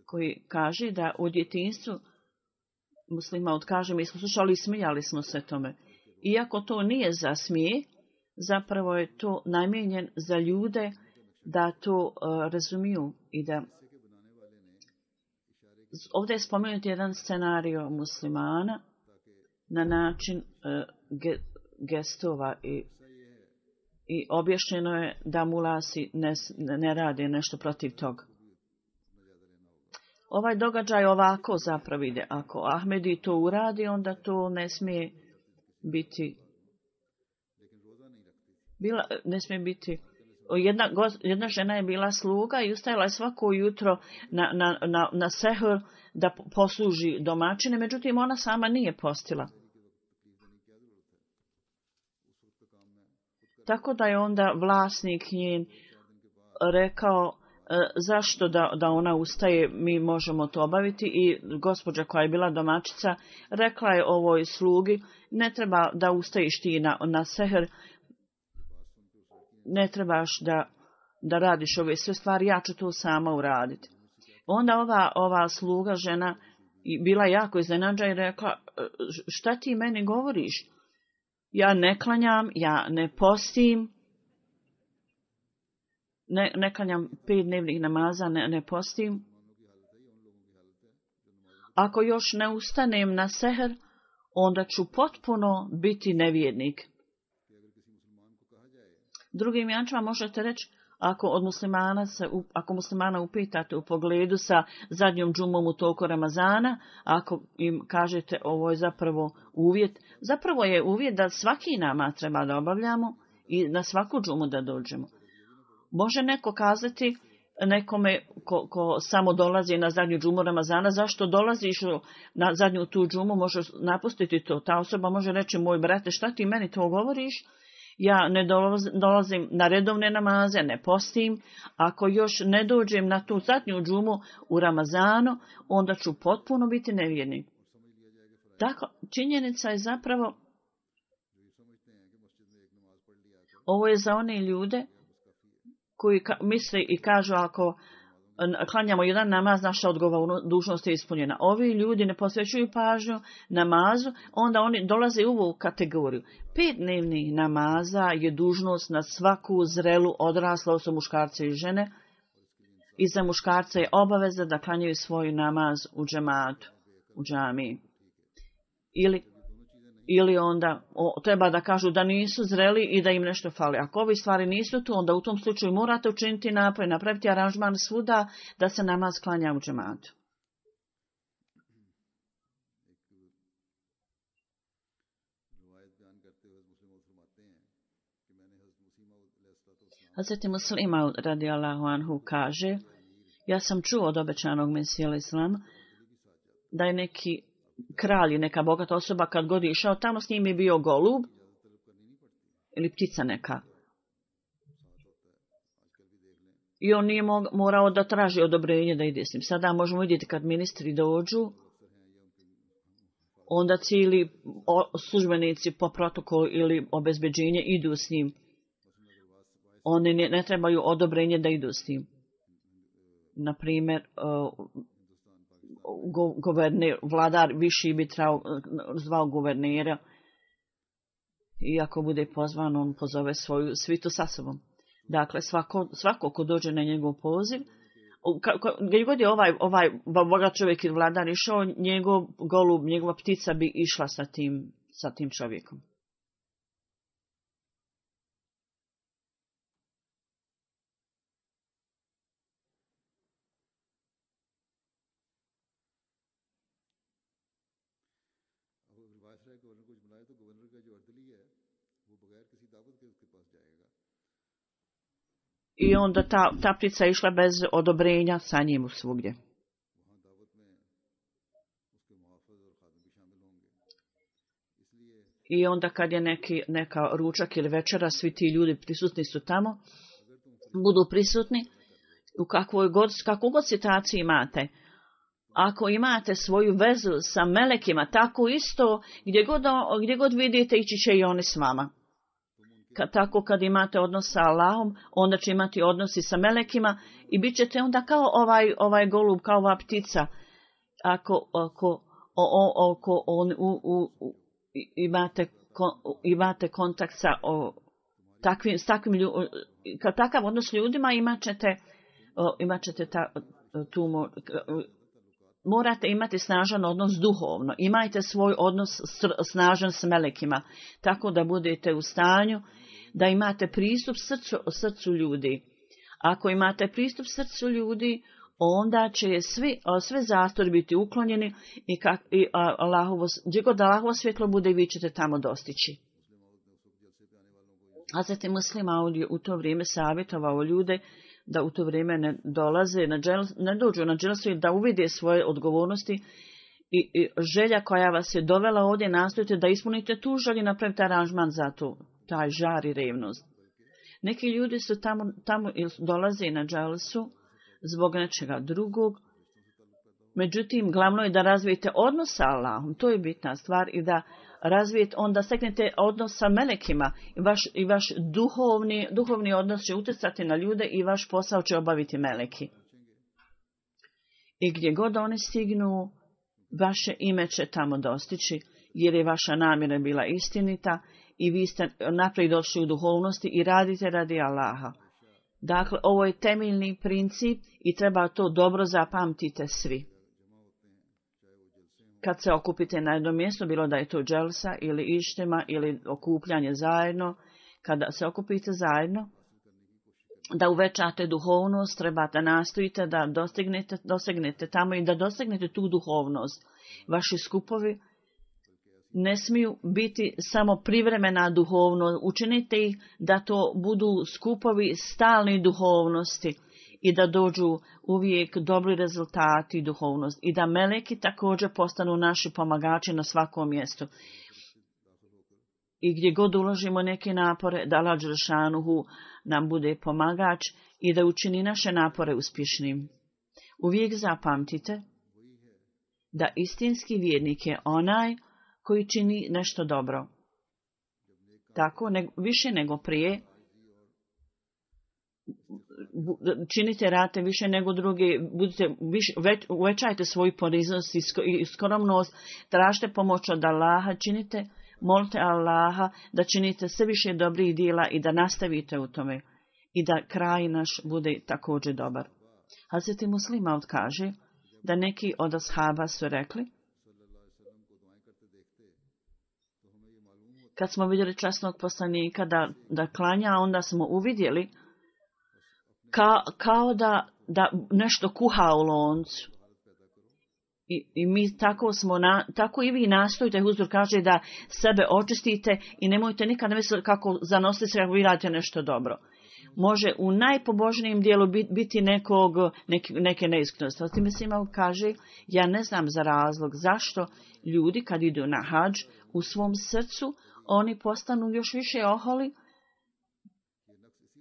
koji kaže da u djetinjstvu muslima odkaže, mi smo slušali i smijali smo se tome. Iako to nije za smije, zapravo je to namijenjen za ljude da to uh, razumiju i da ovdje je spomenut jedan scenario muslimana na način uh, ge, gestova i, i objašnjeno je da mulasi ne, ne rade nešto protiv toga. Ovaj događaj ovako zapravo ide. Ako Ahmedi to uradi, onda to ne smije biti bila, ne smije biti jedna, jedna žena je bila sluga i ustajala je svako jutro na, na, na, na sehr da posluži domaćine, međutim ona sama nije postila. Tako da je onda vlasnik njen rekao zašto da, da ona ustaje, mi možemo to obaviti, i gospođa koja je bila domaćica rekla je ovoj slugi, ne treba da ustaješ ti na, na seher, ne trebaš da, da radiš ove sve stvari, ja ću to sama uraditi. Onda ova, ova sluga žena bila jako iznenađena i rekla, šta ti meni govoriš? Ja ne klanjam, ja ne postim, Ne, ne klanjam pet dnevnih namaza, ne, ne postim. Ako još ne ustanem na seher, onda ću potpuno biti nevjernik. Drugim riječima možete reći, ako od muslimana se, ako muslimana upitate u pogledu sa zadnjom džumom u toku Ramazana, ako im kažete ovo je zapravo uvjet, zapravo je uvjet da svaki namaz treba da obavljamo i na svaku džumu da dođemo. Može neko kazati nekome ko, ko samo dolazi na zadnju džumu Ramazana, zašto dolaziš na zadnju tu džumu, možeš napustiti to. Ta osoba može reći, moj brate, šta ti meni to govoriš? Ja ne dolazim na redovne namaze, ne postim. Ako još ne dođem na tu zadnju džumu u Ramazanu, onda ću potpuno biti nevjernik. Tako, činjenica je zapravo, ovo je za one ljude koji ka- misle i kažu ako klanjamo jedan namaz, naša odgovorna dužnost je ispunjena. Ovi ljudi ne posvećuju pažnju namazu, onda oni dolaze u ovu kategoriju. Pet dnevnih namaza je dužnost na svaku zrelu odrasla osobu muškarca i žene. I za muškarca je obaveza da klanjaju svoj namaz u džematu, u džamiji. Ili Ili onda o, treba da kažu da nisu zreli i da im nešto fali. Ako ovi stvari nisu tu, onda u tom slučaju morate učiniti napor i napraviti aranžman svuda da se namaz klanja u džematu. Hazreti Muslima radijallahu anhu kaže, ja sam čuo od obećanog Mesija Islama da je neki kralj, neka bogata osoba, kad god je išao tamo, s njim je bio golub ili ptica neka. I on nije morao da traži odobrenje da ide s njim. Sada možemo vidjeti kad ministri dođu, onda cijeli službenici po protokolu ili obezbeđenje idu s njim. Oni ne, ne trebaju odobrenje da idu s njim. Naprimjer, Go, guverner, vladar viši bi trao, zvao guvernera i ako bude pozvan, on pozove svoju svitu sa sobom. Dakle, svako, svako ko dođe na njegov poziv, gdje god je ovaj, ovaj bogat čovjek ili vladar išao, njegov golub, njegova ptica bi išla sa tim, sa tim čovjekom. I onda ta, ta ptica išla bez odobrenja sa njim svugdje. I onda kad je neki, neka ručak ili večera, svi ti ljudi prisutni su tamo, budu prisutni u kakvoj god, kakvu god situaciju imate. Ako imate svoju vezu sa melekima, tako isto, gdje god, gdje god vidite, ići će i oni s vama. Kad, tako kad imate odnos sa Allahom, onda će imati odnosi sa melekima i bit ćete onda kao ovaj, ovaj golub, kao ova ptica. Ako, ako, o, o, ako on, u, u, u, imate, ko, imate kontakt sa o, takvim, s takvim ljudima, kad takav odnos ljudima imat ćete, o, imat ćete ta, tu, morate imati snažan odnos duhovno. Imajte svoj odnos snažan s melekima, tako da budete u stanju da imate pristup srcu, srcu ljudi. Ako imate pristup srcu ljudi, onda će svi, sve zastori biti uklonjeni i, kak, i Allahovo, gdje god Allahovo svjetlo bude, vi ćete tamo dostići. Hazreti Muslima u to vrijeme savjetovao ljude da u to vrijeme ne dolaze, na džel, ne dođu na dželsu i da uvide svoje odgovornosti i, i želja koja vas je dovela ovdje, nastojite da ispunite tu želju i napravite aranžman za to, taj žar i revnost. Neki ljudi su tamo, tamo dolaze na dželsu zbog nečega drugog, međutim, glavno je da razvijete odnos sa Allahom, to je bitna stvar, i da razvijete, onda steknete odnos sa melekima i vaš, i vaš duhovni, duhovni odnos će utjecati na ljude i vaš posao će obaviti meleki. I gdje god oni stignu, vaše ime će tamo dostići, jer je vaša namjera bila istinita i vi ste naprijed došli u duhovnosti i radite radi Allaha. Dakle, ovo je temeljni princip i treba to dobro zapamtite svi. kad se okupite na jednom mjestu, bilo da je to dželsa ili ištema ili okupljanje zajedno, kada se okupite zajedno, da uvećate duhovnost, trebate nastojite da dostignete, dosegnete tamo i da dosegnete tu duhovnost. Vaši skupovi ne smiju biti samo privremena duhovnost. Učinite ih da to budu skupovi stalne duhovnosti i da dođu uvijek dobri rezultati i duhovnost. I da meleki također postanu naši pomagači na svakom mjestu. I gdje god uložimo neke napore, da Allah dželešanuhu nam bude pomagač i da učini naše napore uspješnim. Uvijek zapamtite da istinski vjernik je onaj koji čini nešto dobro. Tako, ne, više nego prije, činite rate više nego drugi, budite više, već, uvećajte svoju poniznost i skromnost, tražite pomoć od Allaha, činite, molite Allaha da činite sve više dobrih djela i da nastavite u tome i da kraj naš bude također dobar. Hazreti Muslima kaže da neki od ashaba su rekli, kad smo vidjeli časnog poslanika da, da klanja, onda smo uvidjeli ka, kao da, da nešto kuha u loncu. I, i mi tako smo, na, tako i vi nastojite, Huzur kaže da sebe očistite i nemojte nikad misliti kako zanosite se kako vi radite nešto dobro. Može u najpobožnijem dijelu biti nekog, neke, neke neiskrenosti. Otim Muslima kaže, ja ne znam za razlog zašto ljudi kad idu na hadž u svom srcu, oni postanu još više oholi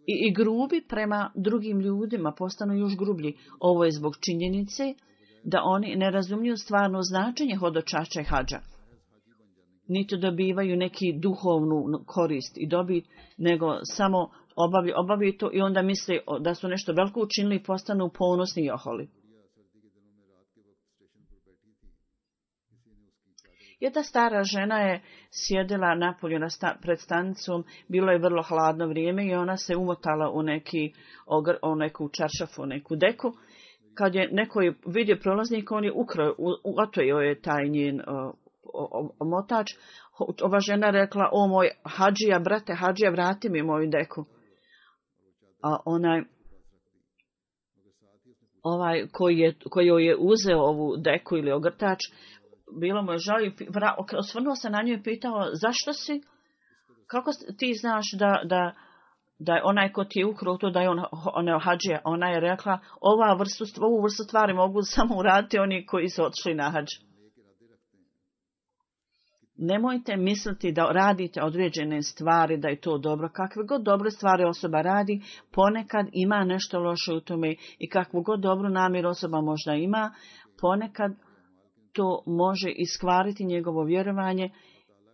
i, i grubi prema drugim ljudima, postanu još grublji. Ovo je zbog činjenice da oni ne razumiju stvarno značenje hodočašća i hadža. Niti dobivaju neki duhovnu korist i dobit, nego samo obavljaju, obavljaju to i onda misle da su nešto veliko učinili i postanu ponosni i oholi. Jedna stara žena je sjedila napolju na sta, pred stanicom, bilo je vrlo hladno vrijeme i ona se umotala u neki ogr, u neku čaršafu, u neku deku. Kad je neko vidio prolaznika, on je ukrao, otojio je taj njen o, o, omotač. Ova žena rekla, o moj hadžija, brate hadžija, vrati mi moju deku. A onaj, ovaj koji je, koji je uzeo ovu deku ili ogrtač, bilo mu je žao i osvrnuo se na nju i pitao, zašto si, kako ti znaš da, da, da je onaj ko ti je ukrao to, da je on, on hadžija. Ona je rekla, ova vrstu, ovu vrstu stvari mogu samo uraditi oni koji su otišli na hadž. Nemojte misliti da radite određene stvari, da je to dobro. Kakve god dobre stvari osoba radi, ponekad ima nešto loše u tome i kakvu god dobru namjeru osoba možda ima, ponekad to može iskvariti njegovo vjerovanje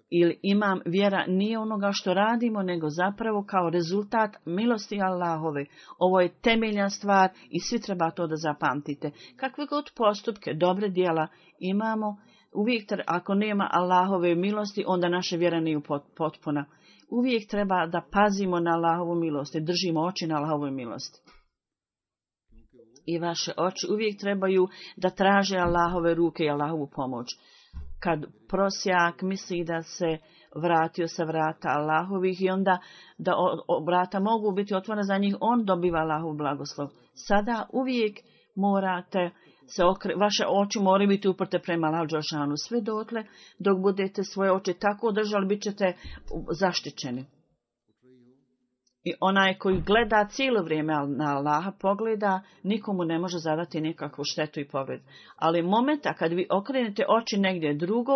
ili imam vjera nije onoga što radimo, nego zapravo kao rezultat milosti Allahove. Ovo je temeljna stvar i svi treba to da zapamtite. Kakve god postupke, dobre djela imamo, uvijek, ako nema Allahove milosti, onda naša vjera nije potpuna. Uvijek treba da pazimo na Allahovu milost i držimo oči na Allahovu milost. I vaše oči uvijek trebaju da traže Allahove ruke i Allahovu pomoć. Kad prosjak misli da se vratio sa vrata Allahovih i onda da o, o, vrata mogu biti otvorena za njih, on dobiva Allahov blagoslov. Sada uvijek morate se okre, vaše oči moraju biti uprte prema Allahu dželešanu. Sve dotle dok budete svoje oči tako održali, bit ćete zaštićeni. I onaj koji gleda cijelo vrijeme na Allaha, pogleda, nikomu ne može zadati nikakvu štetu i povred. Ali momenta kad vi okrenete oči negdje drugo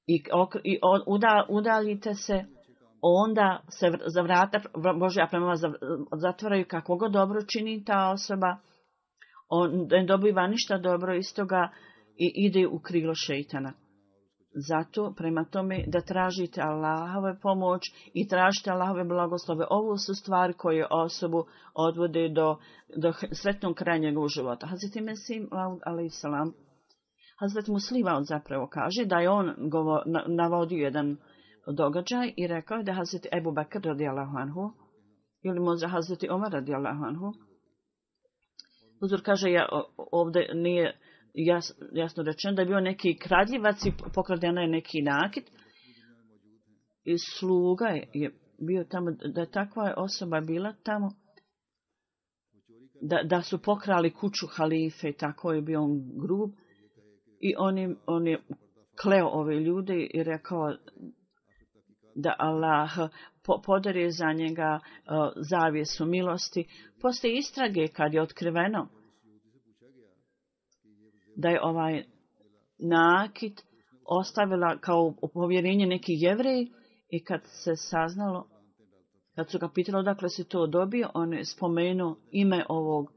i, okre, i uda, udaljite se, onda se za vrata Božja prema vas zatvaraju. Kako god dobro čini ta osoba, on ne dobiva ništa dobro iz toga i ide u krilo šeitana. Zato prema tome da tražite Allahove pomoć i tražite Allahove blagoslove. Ovo su stvari koje osobu odvode do, do sretnog kraja njegovog života. Hazreti Mesih alejhiselam, Hazreti Muslima zapravo kaže da je on govor, navodio jedan događaj i rekao da Hazreti Ebu Bekr radijallahu anhu ili možda Hazreti Omar radijallahu anhu. Uzor kaže, ja ovdje nije jas, jasno rečeno da je bio neki kradljivac i pokradena je neki nakit. I sluga je bio tamo, da je takva osoba bila tamo, da, da su pokrali kuću halife, tako je bio on grub. I on je, on je kleo ove ljude i rekao da Allah podari za njega uh, zavjesu milosti. Poslije istrage, kad je otkriveno da je ovaj nakit ostavila kao povjerenje neki Jevreji, i kad se saznalo, kad su ga pitali odakle se to dobio, on je spomenuo ime ovog,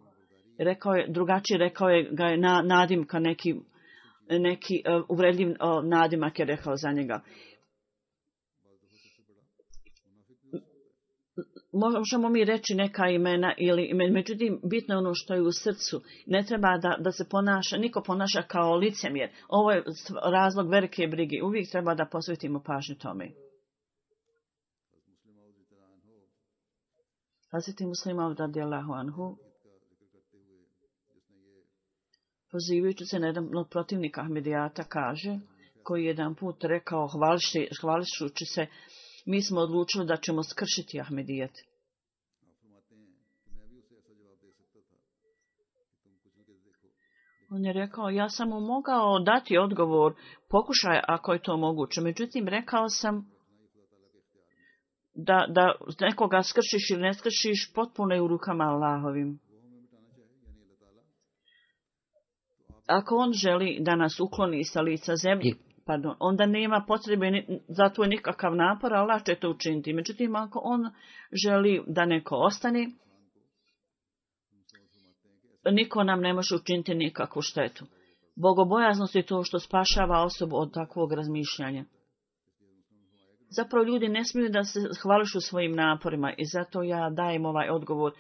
rekao je, drugačije rekao je ga je na, nadimka, neki, neki uh, uvredljiv uh, nadimak je rekao za njega. Možemo mi reći neka imena, ili, međutim, bitno je ono što je u srcu. Ne treba da, da se ponaša, niko ponaša kao licemjer. Ovo je razlog velike brige. Uvijek treba da posvetimo pažnju tome. Hazreti Muslima radijallahu anhu, pozivajući se na jedan od protivnika Ahmedijata, kaže, koji je jedan put rekao, hvališući se, mi smo odlučili da ćemo skršiti Ahmedijet. On je rekao, ja sam mu mogao dati odgovor, pokušaj ako je to moguće. Međutim, rekao sam da, da nekoga skršiš ili ne skršiš, potpuno je u rukama Allahovim. Ako on želi da nas ukloni sa lica zemlji, pardon, onda nema potrebe za to nikakav napor, Allah će to učiniti. Međutim, ako on želi da neko ostane, niko nam ne može učiniti nikakvu štetu. Bogobojaznost je to što spašava osobu od takvog razmišljanja. Zapravo ljudi ne smiju da se hvališu svojim naporima i zato ja dajem ovaj odgovor.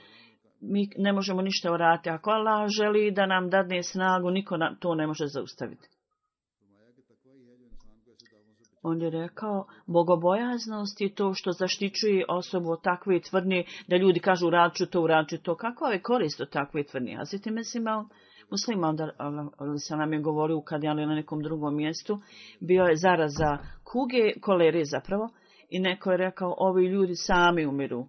Mi ne možemo ništa uraditi. Ako Allah želi da nam dadne snagu, niko to ne može zaustaviti. On je rekao, bogobojaznost je to što zaštićuje osobu od takve tvrdnje, da ljudi kažu uradit ću to, uradit ću to. Kakva je korist od takve tvrdnje? A sveti Mesimao, Muslima, ali sam nam je govorio kad je na nekom drugom mjestu, bio je zaraza kuge, kolere zapravo, i neko je rekao, ovi ljudi sami umiru.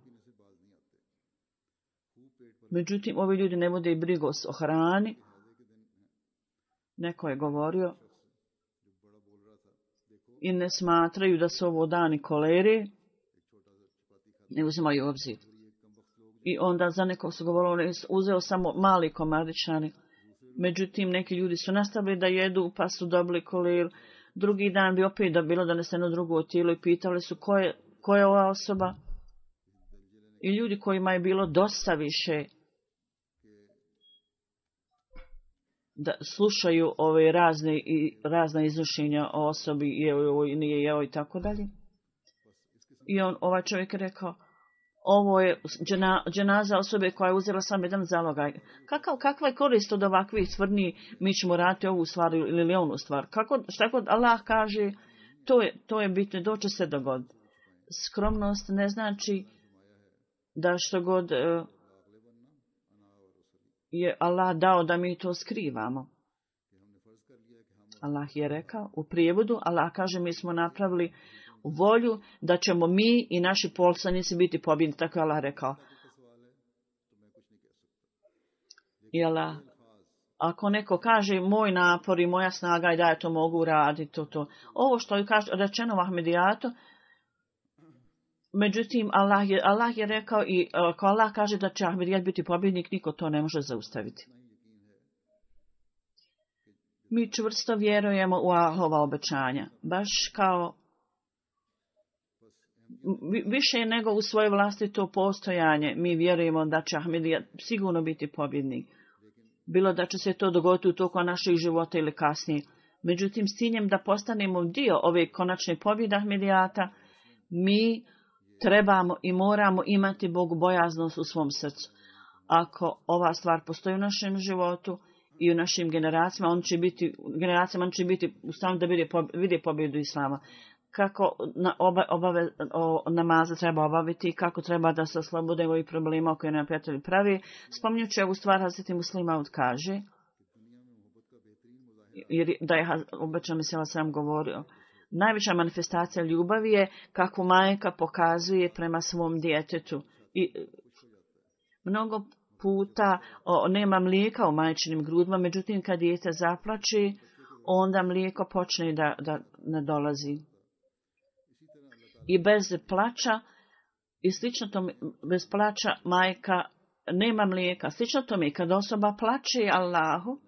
Međutim, ovi ljudi ne vode i brigu o hrani. Neko je govorio, i ne smatraju da su ovo dani kolere, ne uzimaju obzir. I onda za nekog su govorili, uzeo samo mali komadićani. Međutim, neki ljudi su nastavili da jedu, pa su dobili koleru. Drugi dan bi opet da bilo doneseno drugo tijelo i pitali su ko je, ko je ova osoba. I ljudi kojima je bilo dosta više da slušaju ove razne i razna iznošenja o osobi i jeo i nije jeo i tako dalje. I on, ovaj čovjek je rekao, ovo je džena, dženaza osobe koja je uzela sam jedan zalogaj. Kakav, kakva je korist od ovakvih tvrdnji, mi ćemo raditi ovu stvar ili onu stvar. Kako, šta god Allah kaže, to je, to je bitno, doće se dogoditi. Skromnost ne znači da što god uh, je Allah dao da mi to skrivamo. Allah je rekao u prijevodu, Allah kaže mi smo napravili volju da ćemo mi i naši poslanici biti pobjedni, tako je Allah rekao. I Allah, ako neko kaže moj napor i moja snaga i da ja to mogu raditi, to, to. Ovo što je rečeno u Ahmedijatu, međutim, Allah je, Allah je rekao i ako Allah kaže da će Ahmedijat biti pobjednik, niko to ne može zaustaviti. Mi čvrsto vjerujemo u Allahova obećanja, baš kao više nego u svoje vlastito postojanje. Mi vjerujemo da će Ahmedijat sigurno biti pobjednik. Bilo da će se to dogoditi u toku naših života ili kasnije. Međutim, s ciljem da postanemo dio ove konačne pobjede Ahmedijata, mi trebamo i moramo imati bogobojaznost u svom srcu. Ako ova stvar postoji u našem životu i u našim generacijama, on će biti, generacijama on će biti u stanju da vide pobjedu Islama. Kako na oba, obave, o, namaze treba obaviti, kako treba da se oslobode ovih problema koje nam prijatelji pravi. Spominjući ovu stvar, Hazreti Muslima kaže, jer da je obećan Mesija sam govorio. Najveća manifestacija ljubavi je kako majka pokazuje prema svom djetetu. I mnogo puta o, nema mlijeka u majčinim grudima, međutim kad dijete zaplači, onda mlijeko počne da, da ne dolazi. I bez plača, i slično tome, bez plača majka nema mlijeka. Slično tome, kad osoba plače Allahu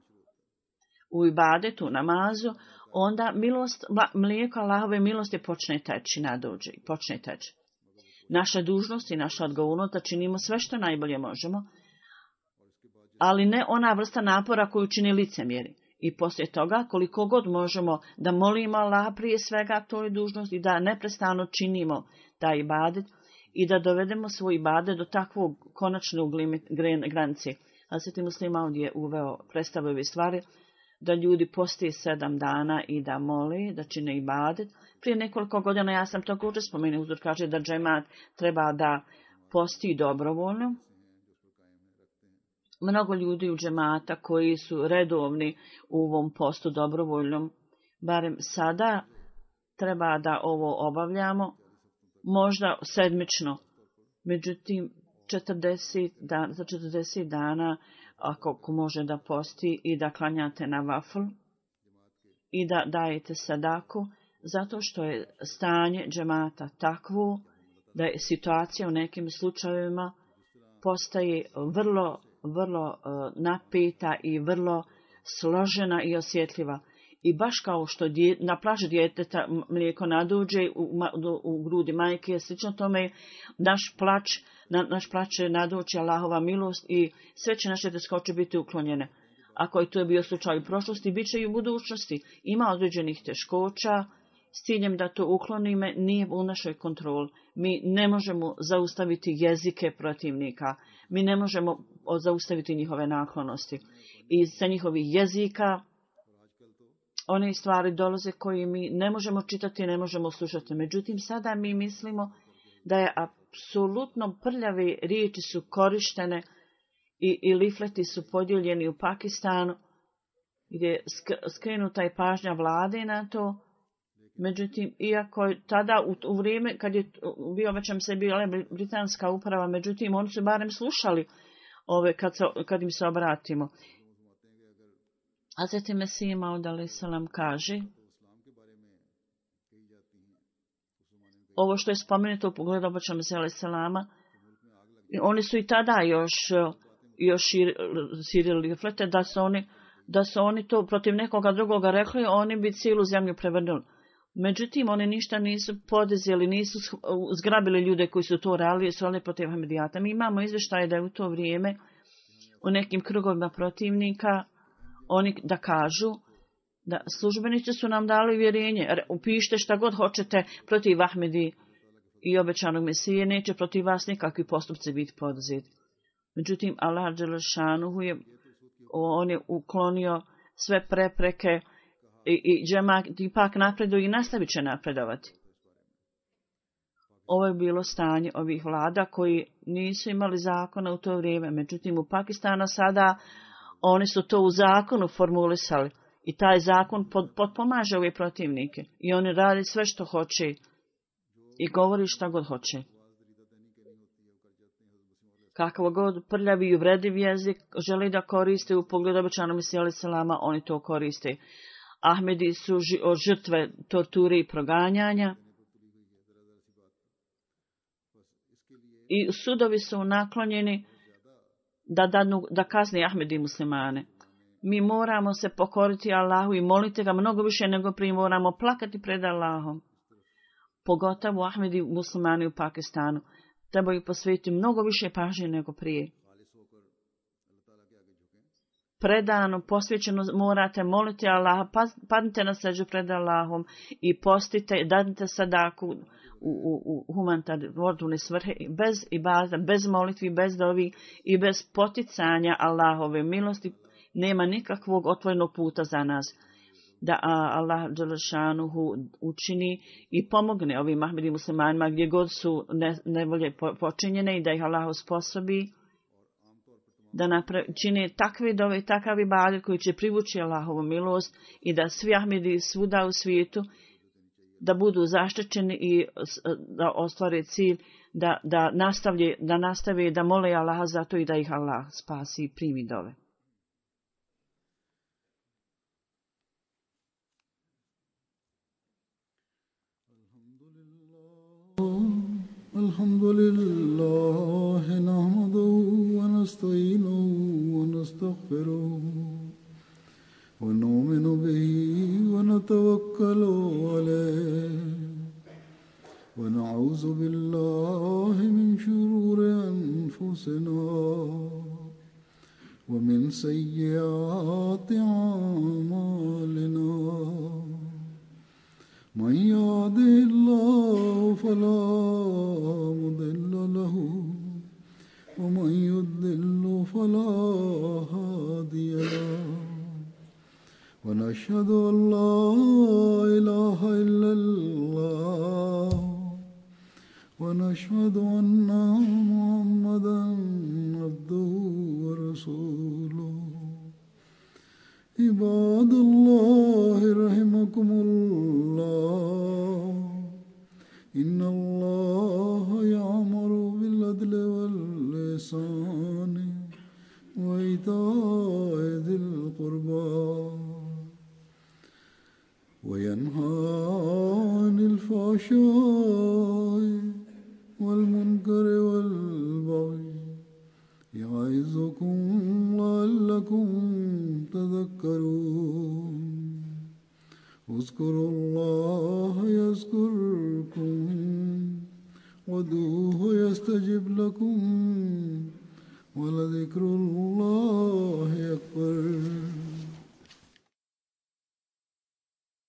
u ibadetu, namazu, onda milost, mlijeko Allahove milosti počne teći, nadođe, počne teći. Naša dužnost i naša odgovornost da činimo sve što najbolje možemo, ali ne ona vrsta napora koju čini licemjeri. I poslije toga, koliko god možemo da molimo Allaha prije svega, to je dužnost i da neprestano činimo taj ibadet i da dovedemo svoj ibadet do takvog konačnog granice. A Sveti Muslim ovdje je uveo predstavio ove stvari, da ljudi postije sedam dana i da mole, da čine ibadet. Prije nekoliko godina ja sam također spomenuo, uzor kaže da džemat treba da posti dobrovoljno. Mnogo ljudi u džemata koji su redovni u ovom postu dobrovoljnom, barem sada treba da ovo obavljamo, možda sedmično. Međutim, četrdeset dana, za četrdeset dana, ako može da posti i da klanjate na vafl i da dajete sadaku, zato što je stanje džemata takvo da je situacija u nekim slučajevima postaje vrlo, vrlo uh, napeta i vrlo složena i osjetljiva. I baš kao što dje, na plaži djeteta mlijeko nadođe u, u, u grudi majke, slično tome naš plač, na, naš plač će nadoći Allahova milost i sve će naše teškoće biti uklonjene. Ako je to bio slučaj u prošlosti, bit će i u budućnosti. Ima određenih teškoća, s ciljem da to uklonime, nije u našoj kontroli. Mi ne možemo zaustaviti jezike protivnika. Mi ne možemo zaustaviti njihove naklonosti. I sa njihovih jezika one stvari dolaze koje mi ne možemo čitati, ne možemo slušati. Međutim, sada mi mislimo da je apsolutno prljave riječi su korištene i, i lifleti su podijeljeni u Pakistanu, gdje je skrenuta je pažnja vlade na to. Međutim, iako je tada u, u vrijeme kad je bio već se bila britanska uprava, međutim, oni su barem slušali ove kad, se, kad im se obratimo. Hazreti Mesih Maud alejhi selam kaže, ovo što je spomenuto u pogledu obećanog Mesija alejhi selama, oni su i tada još, još širili flete, da su oni, da su oni to protiv nekoga drugoga rekli, oni bi cijelu zemlju prevrnuli. Međutim, oni ništa nisu podizeli, nisu zgrabili ljude koji su to radili, su ali protiv Ahmedijata. Mi imamo izvještaje da je u to vrijeme u nekim krugovima protivnika oni da kažu da službenici su nam dali uvjerenje, upišite šta god hoćete protiv Ahmedi i obećanog Mesije, neće protiv vas nikakvi postupci biti poduzeti. Međutim, Allah dželešanuhu je, on je uklonio sve prepreke i, i džemat ipak napreduje i nastavit će napredovati. Ovo je bilo stanje ovih vlada koji nisu imali zakona u to vrijeme. Međutim, u Pakistanu sada oni su to u zakonu formulisali i taj zakon potpomaže ove protivnike. I oni radi sve što hoće i govori šta god hoće. Kakav god prljavi i uvrediv jezik želi da koriste u pogledu obećanog Mesija alejhi selama, oni to koriste. Ahmedi su žrtve torture i proganjanja. I sudovi su naklonjeni da, dadnu, da kazni Ahmedi muslimane. Mi moramo se pokoriti Allahu i moliti ga mnogo više nego prije, moramo plakati pred Allahom. Pogotovo Ahmedi muslimani u Pakistanu trebaju posvetiti mnogo više pažnje nego prije. Predano, posvećeno morate moliti Allaha, padnite na seđu pred Allahom i postite, dadite sadaku u, u, u humanitarne svrhe, bez ibadeta, bez molitvi, bez dovi i bez poticanja Allahove milosti, nema nikakvog otvorenog puta za nas. Da Allah dželešanuhu učini i pomogne ovim Ahmedi muslimanima gdje god su ne, nevolje počinjene i da ih Allah usposobi da napravi, čine takve dove i takav ibadet koji će privući Allahovu milost i da svi Ahmedi svuda u svijetu da budu zaštićeni i da ostvare cilj da, da, nastavlje, da nastave da mole Allaha za to i da ih Allah spasi i primi dove. الحمد لله نحمده ونستعينه ونستغفره ونؤمن به ونتوكل عليه ونعوذ بالله من شرور أنفسنا ومن سيئات أعمالنا من يهده الله فلا مضل له ومن يضلل فلا هادي له ونشهد أن لا إله إلا الله ونشهد أن محمدا عبده ورسوله عباد الله رحمكم الله إن الله يأمر بالعدل والإحسان وإيتاء ذي القربى وينهى عن الفحشاء والمنكر والبغي يعظكم لعلكم تذكرون اذكروا الله يذكركم وادعوه يستجب لكم ولذكر الله أكبر.